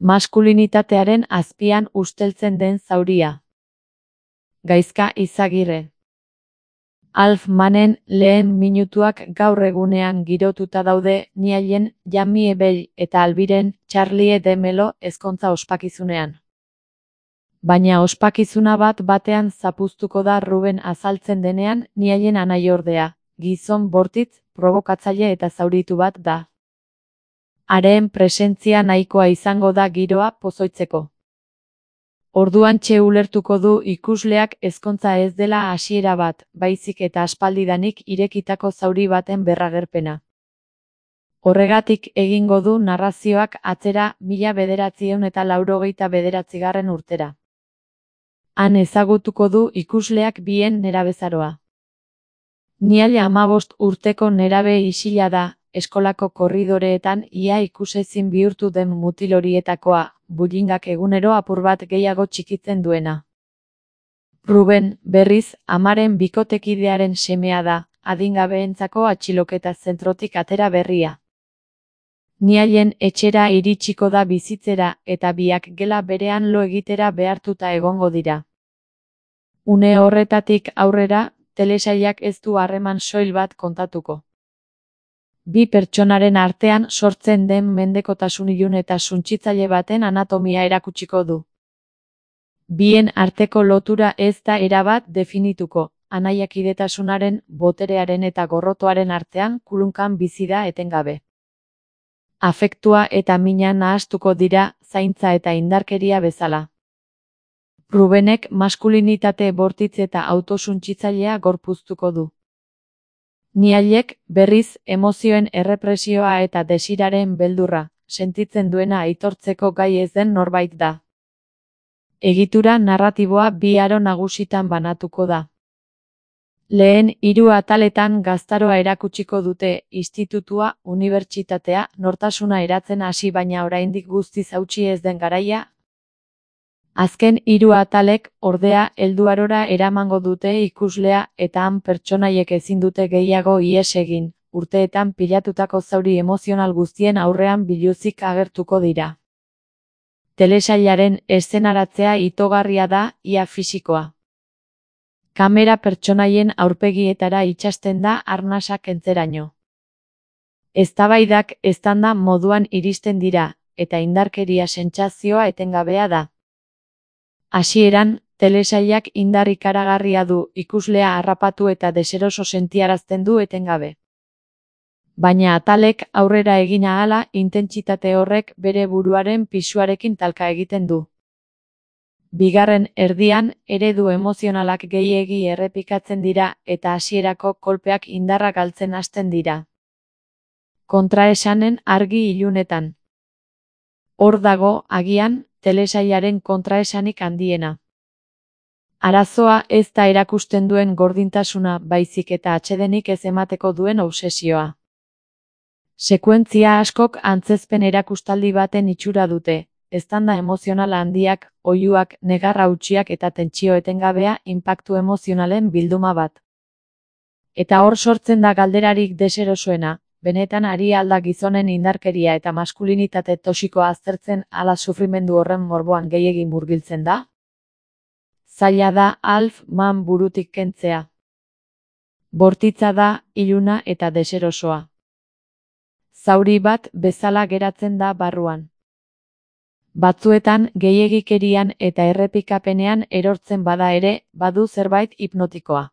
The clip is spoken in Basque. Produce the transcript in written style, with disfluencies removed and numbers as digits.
Maskulinitatearen azpian usteltzen den zauria. Gaizka Izagirre. Alf Manen lehen minutuak gaur egunean girotuta daude Niallen, Jamie Bell eta Albiren Charlie de Melo ezkontza ospakizunean. Baina ospakizuna bat batean zapuztuko da Ruben azaltzen denean Niallen anaiordea, gizon bortitz, probokatzaile eta zauritu bat da. Haren presentzia nahikoa izango da giroa pozoitzeko. Orduantxe ulertuko du ikusleak ezkontza ez dela hasiera bat, baizik eta aspaldidanik irekitako zauri baten berragerpena. Horregatik egingo du narrazioak atzera 1989 urtera. Han ezagutuko du ikusleak bien nerabezaroa. Niall 15 urteko nerabe isila da, eskolako korridoreetan ia ikusezin bihurtu den mutil horietakoa, bullingak egunero apur bat gehiago txikitzen duena. Ruben, berriz, amaren bikotekidearen semea da, adingabeentzako atxiloketa zentrotik atera berria. Niallen etxera iritsiko da bizitzera eta biak gela berean lo egitera behartuta egongo dira. Une horretatik aurrera, telesailak ez du harreman soil bat kontatuko. Bi pertsonaren artean sortzen den mendekotasun ilun eta suntsitzaile baten anatomia erakutsiko du. Bien arteko lotura ez da erabat definituko, anaiakidetasunaren, boterearen eta gorrotoaren artean kulunkan bizi da etengabe. Afektua eta mina nahastuko dira, zaintza eta indarkeria bezala. Rubenek maskulinitate bortitz eta autosuntsitzailea gorpuztuko du. Niallek, berriz, emozioen errepresioa eta desiraren beldurra, sentitzen duena aitortzeko gai ez den norbait da. Egitura narratiboa bi aro nagusitan banatuko da. Lehen 3 ataletan gaztaroa erakutsiko dute, institutua, unibertsitatea, nortasuna eratzen hasi baina oraindik guztiz hautsi ez den garaia. Azken 3 atalek, ordea, helduarora eramango dute ikuslea eta han pertsonaiek ezin dute gehiago ihes egin, urteetan pilatutako zauri emozional guztien aurrean biluzik agertuko dira. Telesailaren eszenaratzea itogarria da, ia fisikoa. Kamera pertsonaien aurpegietara itsasten da arnasak kentzeraino. Eztabaidak eztanda moduan iristen dira, eta indarkeria sentsazioa etengabea da. Hasieran, telesailak indar ikaragarria du, ikuslea harrapatu eta deseroso sentiarazten du etengabe. Baina atalek aurrera egin ahala, intentsitate horrek bere buruaren pisuarekin talka egiten du. Bigarren erdian, eredu emozionalak gehiegi errepikatzen dira eta hasierako kolpeak indarra galtzen hasten dira. Kontraesanen argi ilunetan. Hor dago, agian, telesailaren kontraesanik handiena. Arazoa ez da erakusten duen gordintasuna baizik eta atsedenik ez emateko duen obsesioa. Sekuentzia askok antzezpen erakustaldi baten itxura dute, eztanda emozional handiak, oihuak, negar hautsiak eta tentsio etengabea inpaktu emozionalen bilduma bat. Eta hor sortzen da galderarik deserosoena, benetan ari alda gizonen indarkeria eta maskulinitate toxikoa aztertzen ala sufrimendu horren morboan gehiegi murgiltzen da? Zaila da Alf Man burutik kentzea. Bortitza da, iluna eta deserosoa. Zauri bat bezala geratzen da barruan. Batzuetan gehiegikerian eta errepikapenean erortzen bada ere, badu zerbait hipnotikoa.